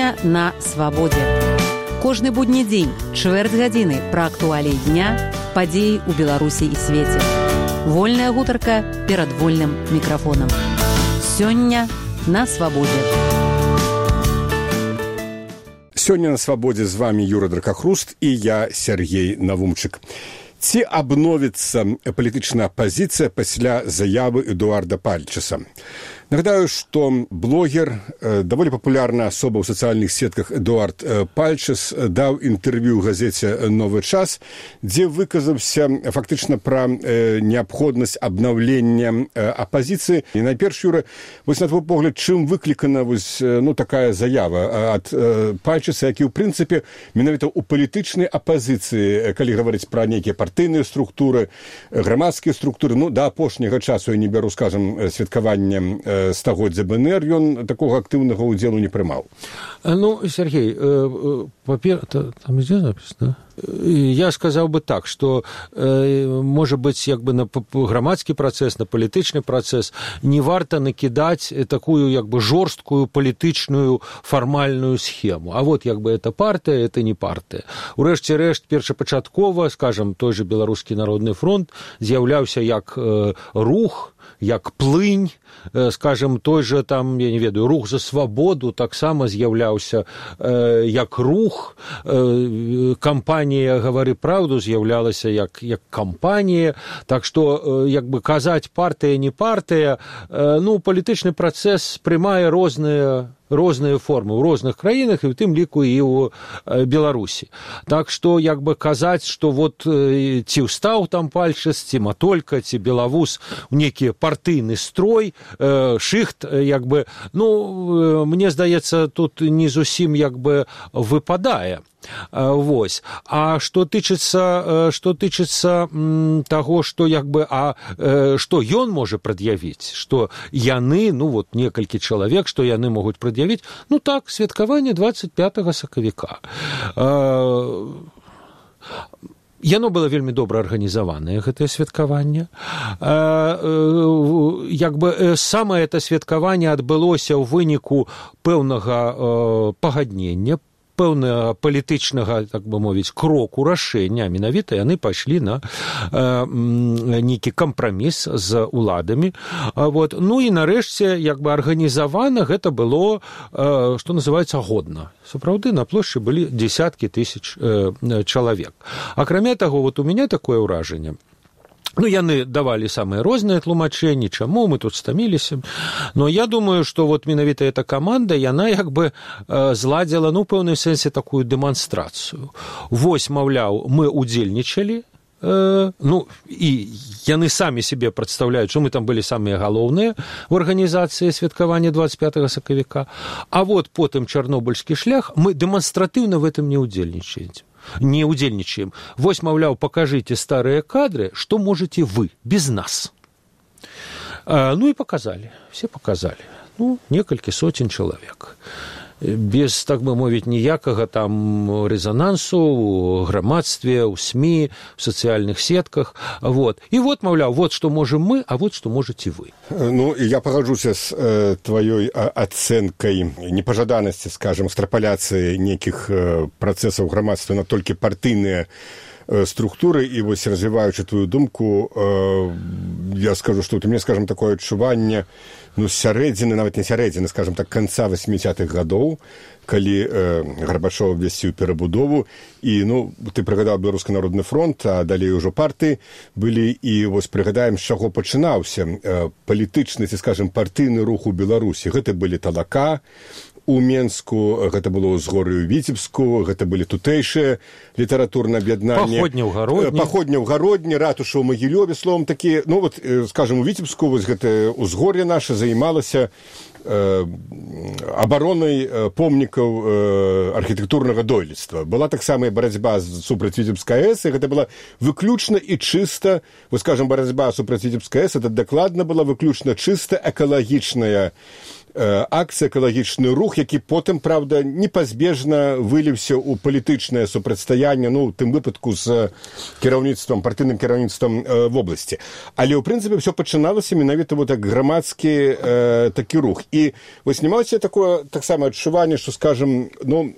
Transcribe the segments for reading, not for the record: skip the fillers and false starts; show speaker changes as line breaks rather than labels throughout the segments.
Сёння на свабодзе. Кожны будні дзень, чвэрць гадзіны пра актуаліі дня, падзеі ў Беларусі і свеце. Вольная гутарка перад вольным мікрафонам. Сёння на свабодзе.
Сёння на свабодзе з вами Юра Дракахруст і я, Сергей Навумчык. Ці абновіцца палітычная апазіцыя пасля заявы Эдуарда Пальчеса? Нагадаю, што блогер, даволі папулярная асоба ў сацыяльных сетках Эдуард Пальчес даў інтэрв'ю ў газеце «Новы час», дзе выказаўся фактычна пра неабходнасць абнаўлення апазіцыі. І найперш, Юра, вось на твой погляд, чым выклікана такая заява ад Пальчеса, які ў прынцыпе менавіта ў палітычнай апазіцыі, калі гаварыць пра нейкія партыйныя структуры, грамадскія структуры, да апошняга часу я не бяру, скажам, святкавання стагоддзя БНР, ён такога актыўнага ўдзелу не прымаў.
Сергей, там ідзе запіс, да? Я сказаў бы так, што, можа быць, на грамадскі працэс, на палітычны працэс не варта накідаць такую, жорсткую палітычную фармальную схему. А вот, это партыя, это не партыя. Урэшце рэшт, першапачаткова, скажам, той же Беларускі народны фронт з'яўляўся як рух, як плынь, скажем, той же там, я не ведаю, рух за свабоду таксама з'яўляўся як рух, кампанія «Гавары праўду» з'яўлялася як кампанія, так што, казаць партыя, не партыя, палітычны працэс прымае розныя формы ў розных краінах, і ў тым ліку і ў Беларусі. Так што, казаць, што ці ўстаў там Пальчес, ці Матолька, ці Белавуз у нейкі партыйны строй, шыхт, мне здаецца, тут не зусім выпадае. Вось. А што тычыцца таго, што што ён можа прад'явіць, што яны, некалькі чалавек, што яны могуць прад'явіць, так, святкаванне 25 сакавіка. Яно было вельмі добра арганізаванае, гэтае святкаванне. Самае это святкаванне адбылося ў выніку пэўнага пагаднення, пэўнага палітычнага, так бы мовіць, кроку, рашэння, менавіта яны пайшлі на нейкі кампраміс з уладамі. І нарэшце, арганізавана гэта было, што называецца, годна. Сапраўды, на плошчы былі дзесяткі тысяч чалавек. Акрамя таго, у мяне такое ўражанне. Яны давалі самыя розныя тлумачэнні, чаму мы тут стаміліся. Но я думаю, што менавіта эта каманда, яна зладзіла, ў пэўным сэнсе, такую дэманстрацыю. Вось, маўляў, мы ўдзельнічалі, і яны самі себе прадстаўляюць, што мы там былі самыя галоўныя ў арганізацыі святкавання 25 сакавіка, а потым чарнобыльскі шлях, мы дэманстратыўна в этом не ўдзельнічаем. Вось, маўляў, пакажыце старыя кадры, што можаце вы без нас. І паказалі, все паказалі. Некалькі сотень чалавек. Без, так бы мовіць, ніякага там резонансу ў грамадстве, ў СМІ, у сацыяльных сетках. І маўляў, што можем мы, а што можаце вы.
Я пагаджуся з тваёй ацэнкай непажаданасці, скажам, экстрапаляцыі нейкіх працэсаў грамадства на толькі партыйныя структуры, і вось, развіваючы твою думку, я скажу, што у мяне, скажам, такое адчуванне сярэдзіны, нават не сярэдзіны, скажам так, канца 80-х гадоў, калі Гарбачоў абвясціў перабудову, і, ты прыгадаў Беларускі народны фронт, а далей ужо партыі былі, і вось прыгадаем, з чаго пачынаўся палітычны, ці, скажам, партыйны рух у Беларусі. Гэта былі Талака, у Менску, гэта было ўзгор'е ў Віцебску, гэта былі тутэйшыя літаратурныя аб'яднанні. Паходня ў Гародні, ратуша ў Магілёве, словом, такі, скажам, у Віцебску вось гэтае ўзгор'е наша займалася абаронай помнікаў архітэктурнага дойлідства. Была таксама і барацьба супраць Віцебскай АЭС, і гэта была выключна і чыста, вось, скажам, барацьба супраць Віцебскай АЭС, это дакладна была выключна чыста экалагічная акцыя, экалагічны рух, які потым, правда, непазбежна выліўся ў палітычнае супрацьстаянне, ну, у тым выпадку з кіраўніцтвам, партыйным кіраўніцтвам вобласці. Але, ў прынцыпе, ўсё пачыналася менавіта вот так грамадскі такі рух. І вось не маеце такое таксама адчуванне, што, скажам, ну,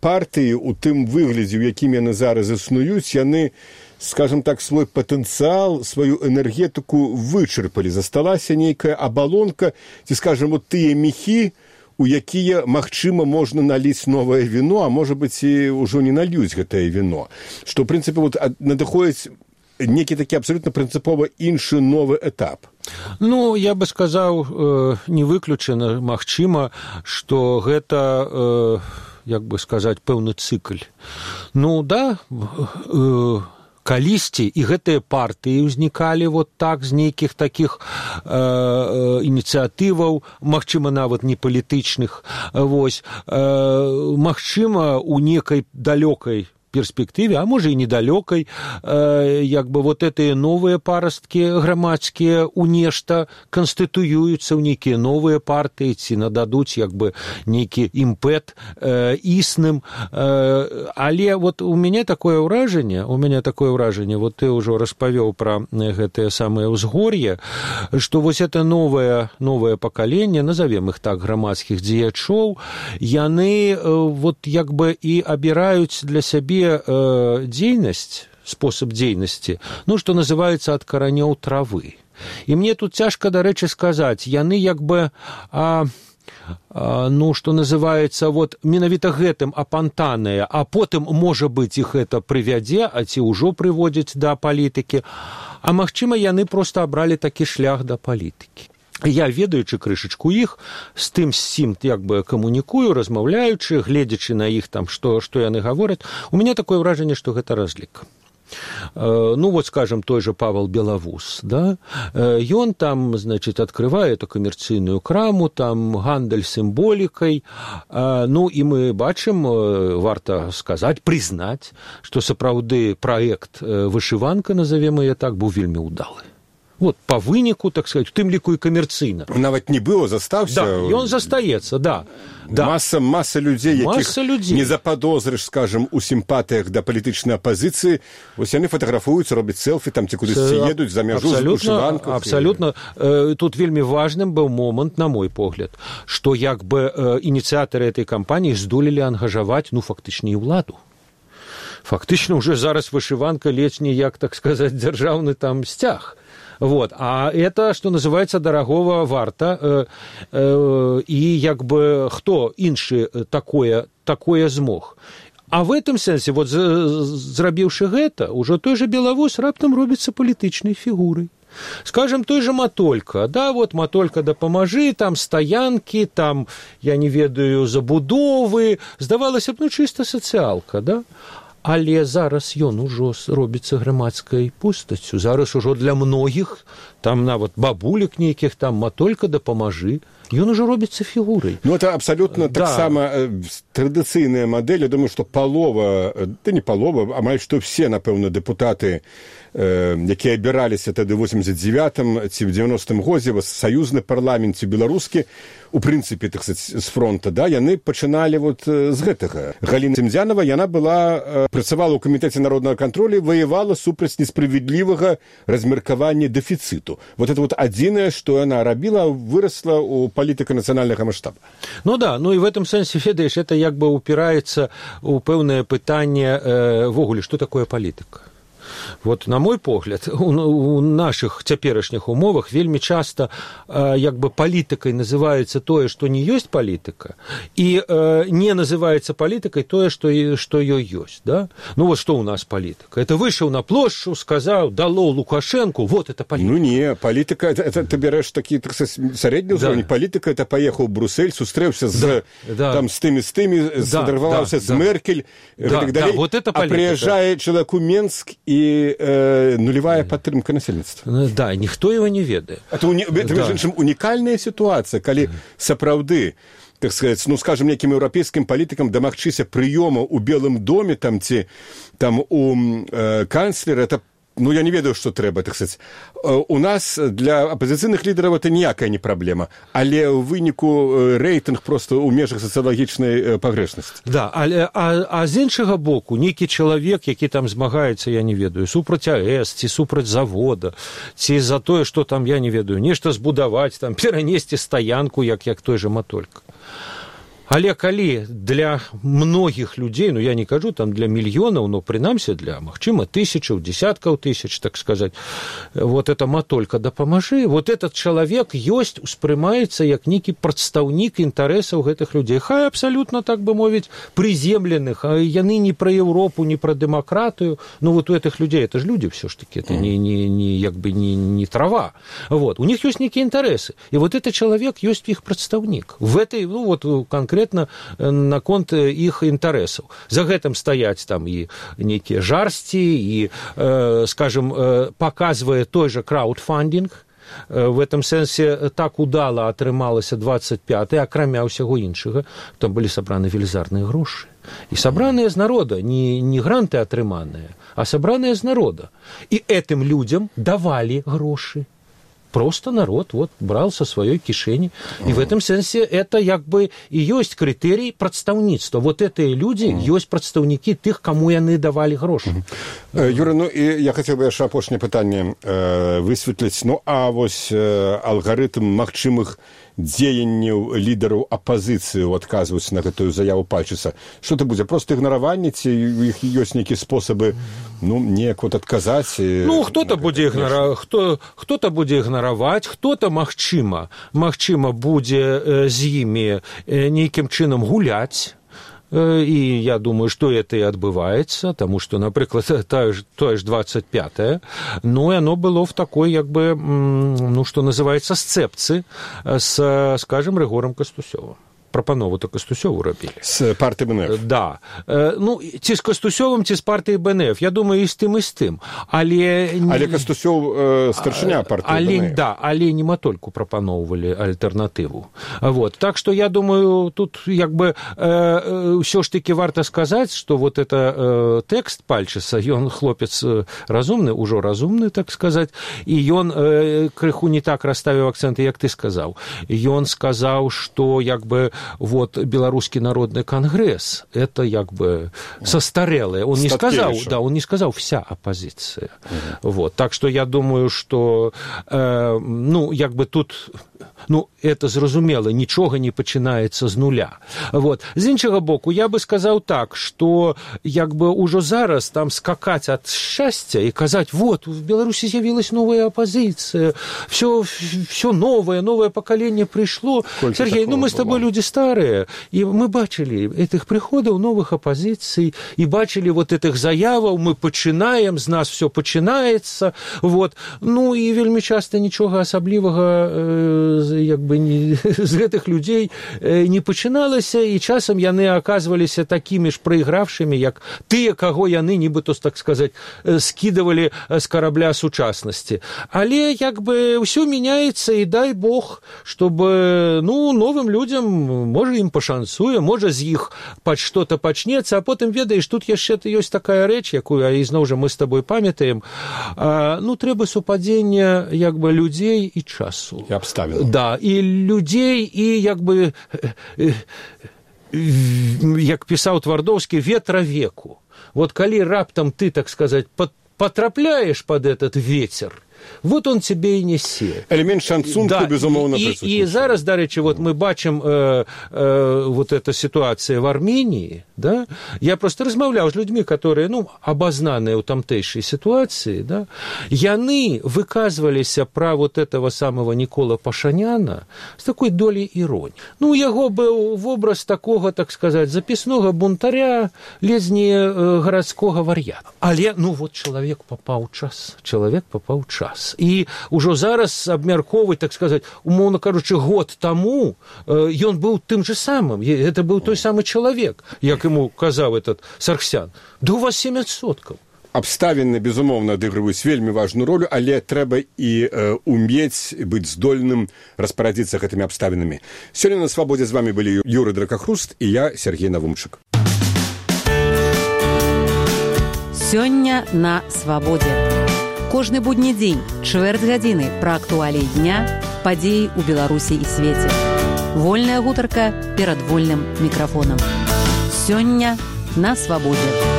партыі у тым выглядзе, у якім яны зараз існуюць, яны, скажем так, свой патэнцыял, сваю энергетыку вычарпалі. Засталася нейкая абалонка, ці, скажем, вот тыя мехі, у якія, магчыма, можна наліць новае віно, а можа быць, і ўжо не нальюць гэтае віно. Што, ў прынцыпе, вот, надыходзіць некі такі абсолютна прынцыпова іншы новы этап.
Ну, я бы сказаў, не выключана, магчыма, што гэта, як бы сказаць, пэўны цыкль. Ну, да, калісьці і гэтыя партыі ўзнікалі вот так з нейкіх такіх ініцыятываў, магчыма, нават не палітычных. Вось, магчыма, у некай далёкай перспектыве, а можа і недалёкай, як бы вот гэтыя новыя парасткі грамадскія ў нешта канстытуююцца ў нейкія новыя партыі, ці нададуць як бы нейкі імпэт існым. Але вот у мяне такое ўражанне, вот ты ўжо распавёў пра гэтае самае ўзгор'е, што вось это новае пакаленне, назовем іх так, грамадскіх дзеячоў, яны вот як бы і абіраюць для сябе дзейнасць, спосаб дзейнасці, ну, што называецца ад каранёў травы. І мне тут цяжка, дарэчы, сказаць, яны як бы, ну, што называецца, вот, менавіта гэтым апантаныя, а потым, можа быць, іх гэта прывядзе, а ці ўжо прыводзіць да палітыкі, а магчыма, яны проста абралі такі шлях да палітыкі. Я, ведаючы крышачку іх, з тым сім як бы камунікую, размаўляючы, гледзячы на іх там, што яны гавораць, у мяне такое ўражанне, што гэта разлік. Ну, вот, скажем, той же Павел Белавус, да, ён там, значит, открывае эту камерцыйную краму, там гандаль сімволікай, ну, і мы бачым, варта сказаць, прызнаць, што сапраўды праект «Вышыванка», назовем яе так, быў вельмі ўдалы. Вот, по выніку, так сказать, у тым ліку і камерцыйна.
Нават не было, застаўся.
Да, ён застаецца, да.
Маса людзей, якіх не заподозрыш, скажем, у сімпатыях да палітычнай апазіцыі, вось яны фатаграфуюцца, робяць селфі, там ці кудысьці едуць за мяжу з вышыванках.
Абсалютна. Тут вельмі важным быў момант, на мой погляд, што як бы ініцыятары этой кампаніі здолелі ангажаваць, ну, фактычна, і ўладу. Фактычна, уже зараз вышыванка ледзь не як, так сказаць, дзяржаўны там сцяг. Вот. А это, что называется, дорогого варта. И як бы хто іншы такое змог. А в этом сэнсе, вот зрабіўшы гэта, ужо той же Белавус раптам робіцца палітычнай фігурай. Скажем, той же Матолька, да, вот Матолька дапамажы, там стаянкі, там, я не ведаю, забудовы, здавалася б, ну, чыста сацыялка, да? Але зараз ён ужо робіцца грамадскай постаццю. Зараз ужо для многіх, там нават бабулек нейкіх, там Матолька дапамажы, ён ужо робіцца фігурай.
Ну, это абсолютно так само традыцыйная модель. Я думаю, что полова, да не полова, амаль што все, напэўна, депутаты, якія абіраліся тады ў 89-м ці ў 90-м годзе, саюзны парламент ці беларускі, у прынцыпе, так сказаць, з фронта, да, яны пачыналі вот з гэтага. Галіна Цімдзянова, яна была, працавала ў камітэце народнага кантролю, ваявала супраць несправядлівага размеркавання дэфіцыту. Вот это вот адзінае, што яна рабіла, вырасла ў палітыка нацыянальнага маштаба.
Ну да, ну і в этом сэнсе, ведаеш, это як бы упіраецца ў пэўнае пытанне ввогуле, што такое палітыка. Вот, на мой погляд, у наших цяперашніх умовах вельмі часта як бы палітыкай называецца тое, што не ёсць палітыка, і не называецца палітыкай тое, што ёй ёсць. Да? Ну вот што у нас палітыка? Это выйшаў на плошчу, сказаў, дало Лукашенку, вот это палітыка.
Ну не, палітыка, это ты бярэш такі, так сказать, сярэдні ўзровень. Да. Палітыка, это паехаў у Брюссель, сустрэўся там з тымі, сфотаграфаваўся з Меркель, і так далей, вот это палітыка. А прыязджае чалавек у Менск і нулевая падтрымка насельніцтва.
Да, ніхто его не ведае.
Это між іншым, унікальная сітуацыя, калі сапраўды, так сказать, ну, скажем, неким еўрапейскім палітыкам дамагчыся прыёму ў Белым доме, там, ці там у канцлера, это ну, я не ведаю, што трэба, так сказаць. У нас для апазіцыйных лідараў это ніякая не праблема, але ў выніку рэйтынг проста ў межах сацыялагічнай пагрэшнасці.
Да, а з іншага боку, нейкі чалавек, які там змагаецца, я не ведаю, супраць АЭС, ці супраць завода, ці за тое, што там, я не ведаю, нешта збудаваць, там, перанесці стаянку, як той жа Матолька. Але калі для многіх людзей, ну я не кажу там для мільёнаў, но прынамсі для, магчыма, тысячаў, десяткаў тысяч, так сказаць, вот это Матолька дапамажы, вот этот чалавек ёсць, успрымаецца як нейкі прадстаўнік інтарэсаў гэтых людзей. Хай абсалютна, так бы мовіць, прыземленых, а яны не пра Еўропу, не пра дэмакратыю, ну вот у гэтых людзей, это ж людзі ўсё ж такі, это не трава. Вот, у них ёсць нейкія інтарэсы. І вот этот чалавек ёсць іх прадстаўнік. В этой, ну вот конкретно наконт іх інтарэсаў. За гэтым стаяць там і нейкія жарсці, і, скажем, паказвае той жа краудфандинг. В этом сэнсе так удала атрымалася 25-й, акрамя ўсяго іншага, там былі сабраны велізарныя грошы. І сабраныя з народа, не гранты атрыманыя, а сабраныя з народа. І этим людям давалі грошы. Просто народ вот брал со своей кишени. И в этом сенсе это как бы и есть критерий прадстаўніцтва. Вот эти люди есть прадстаўнікі тых, кому яны давали грошы.
Юра, ну и я хотел бы яшчэ апошняе пытанне высветліць. Ну а вось алгарытм магчымых дзеянняў лідараў апазіцыі адказваюць на гэтую заяву Пальчыца. Што это будзе? Просто ігнараванне, ці у іх ёсць нейкія спосабы, ну, неяк вот адказаць?
Ну, хто-то будзе ігнараваць, хто-то, магчыма, будзе з імі нейкім чынам гуляць. И я думаю, что это и отбывается, потому что, например, то ж 25-е, но оно было в такой, как бы, ну, что называется, сцепцы с, скажем, Рыгором Кастусёвым. Прапанову-то Кастусёву рабілі.
З партыі БНФ.
Да. Ну, ці з Кастусёвым, ці з партыі БНФ. Я думаю, і з тым. Але
Кастусёў старшыня партыі БНФ.
Да, але не Матольку прапаноўвалі альтэрнатыву. Вот. Так что я думаю, тут як бы ўсё ж таки варта сказаць, что вот это тэкст Пальчыца, ён хлопец разумны, ужо разумны, так сказаць, і ён крыху не так расставіў акцэнты, як ты сказаў. Ён сказаў, что як бы вот Белорусский народный конгресс, это как бы состарелое. Он не сказал, да, он не сказал вся оппозиция. Вот. Так что я думаю, что, ну, как бы тут, ну, это зразумела, нічога не пачынаецца з нуля. Вот. З іншага боку, я бы сказаў так, что як бы ўжо зараз там скакаць ад шчасця і казаць, вот, в Беларусі з'явилась новая оппозиция, все новое поколение пришло. Сергей, ну, мы с тобой люди старые, и мы бачили этих приходов новых оппозиций, и бачили вот этих заяваў, мы пачынаем, з нас все пачынаецца, вот. Ну, и вельмі часто нічога асаблівага як бы з гэтых людзей не пачыналася, і часам яны аказваліся такімі ж прайгравшымі, як тыя, каго яны, нібыто, так сказаць, скідывалі з карабля сучаснасці. Але як бы ўсё мяняецца, і дай Бог, чтобы, ну, новым людзям можа ім пашанцуе, можа з іх што-то пачнецца, а потым, ведаеш, тут яшчэ ёсць такая рэч, якую, а ізноў жа мы з табой памятаем, ну, трэба супадзення як бы людзей і часу.
І абставін.
Да, і людзей, і як бы, як пісаў Твардоўскі, ветра веку. Вот калі раптам ты, так сказаць, потрапляешь под этот ветер, вот он тебе и несе.
Элемент шансунку, да, безумовно, присутствует.
И зараз, дарэчы, вот мы бачым вот эта ситуация в Армении, да, я просто размаўляў з людьми, которые, ну, обознаныя ў тамтэйшай ситуации, да, яны выказваліся пра вот этого самого Никола Пашаняна с такой долей иронии. Ну, яго быў вобраз такого, так сказать, запіснога бунтаря, ледзь не гарадскога вар'ята. Але, ну, вот чалавек папаў час. І ўжо зараз абмярковаць, так сказаць, умоўна кажучы, год таму ён быў тым же самым. Это быў той самы чалавек, як ему казаў этот Сарксян. Да у вас 7%.
Абставіны, безумоўна, адыгрываюць вельмі важную ролю, але трэба і умець быць здольным распарадзіцца гэтымі абставінамі. Сёння на Свабодзе з вами былі Юры Дракахруст і я, Сергей Навумчык.
Сёння на Свабодзе. Кожны будні дзень, чвэрць гадзіны пра актуаліі дня, падзеі ў Беларусі і свеце. Вольная гутарка перад вольным мікрафонам. Сёння на свабодзе.